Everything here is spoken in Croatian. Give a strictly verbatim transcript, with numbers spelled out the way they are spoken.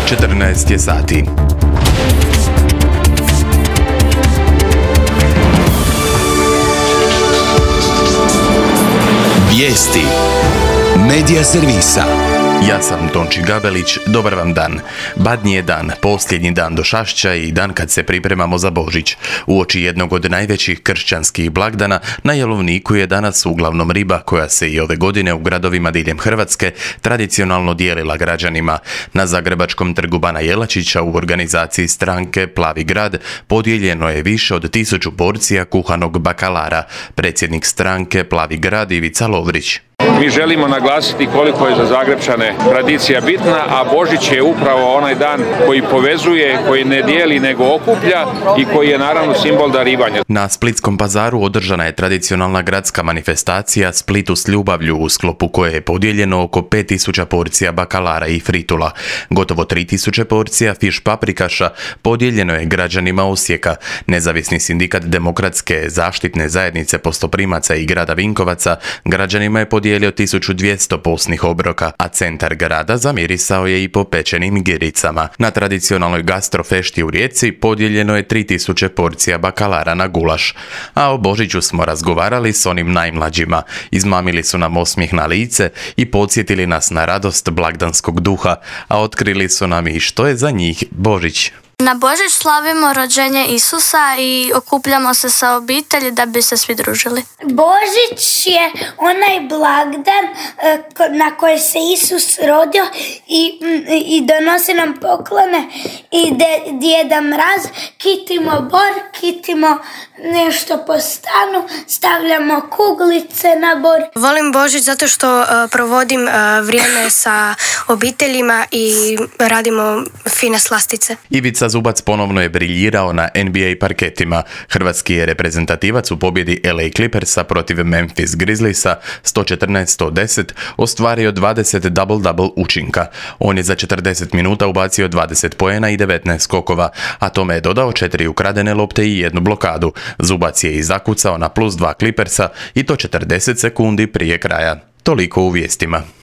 četrnaest je sati. Vijesti Medija servisa. Ja sam Tonči Gabelić, dobar vam dan. Badnji je dan, posljednji dan do Šašća i dan kad se pripremamo za Božić. Uoči jednog od najvećih kršćanskih blagdana, na jelovniku je danas uglavnom riba koja se i ove godine u gradovima diljem Hrvatske tradicionalno dijelila građanima. Na Zagrebačkom trgu Bana Jelačića u organizaciji stranke Plavi grad podijeljeno je više od tisuću porcija kuhanog bakalara. Predsjednik stranke Plavi grad Ivica Lovrić. Mi želimo naglasiti koliko je za Zagrepčane tradicija bitna, a Božić je upravo onaj dan koji povezuje, koji ne dijeli nego okuplja i koji je naravno simbol darivanja. Na Splitskom pazaru održana je tradicionalna gradska manifestacija Splitu s ljubavlju, u sklopu koje je podijeljeno oko pet tisuća porcija bakalara i fritula. Gotovo tri tisuće porcija fiš paprikaša podijeljeno je građanima Osijeka. Nezavisni sindikat Demokratske zaštitne zajednice postoprimaca i grada Vinkovaca građanima je podijelio tisuću dvjesto posnih obroka, a centar grada zamirisao je i po pečenim giricama. Na tradicionalnoj gastrofešti u Rijeci podijeljeno je tri tisuće porcija bakalara na gulaš. A o Božiću smo razgovarali s onim najmlađima. Izmamili su nam osmijeh na lice i podsjetili nas na radost blagdanskog duha, a otkrili su nam i što je za njih Božić. Na Božić slavimo rođenje Isusa i okupljamo se sa obitelji da bi se svi družili. Božić je onaj blagdan na koji se Isus rodio i, i donosi nam poklone i de, Djeda Mraz, kitimo bor, kitimo nešto po stanu, stavljamo kuglice na bor. Volim Božić zato što uh, provodim uh, vrijeme sa obiteljima i radimo fine slastice. Ivica Zubac ponovno je briljirao na N B A parketima. Hrvatski je reprezentativac u pobjedi L A Clippersa protiv Memphis Grizzliesa sto četrnaest sto deset ostvario dvadeset double-double učinka. On je za četrdeset minuta ubacio dvadeset poena i devetnaest skokova, a tome je dodao četiri ukradene lopte i jednu blokadu. Zubac je i zakucao na plus dva Clippersa i to četrdeset sekundi prije kraja. Toliko u vijestima.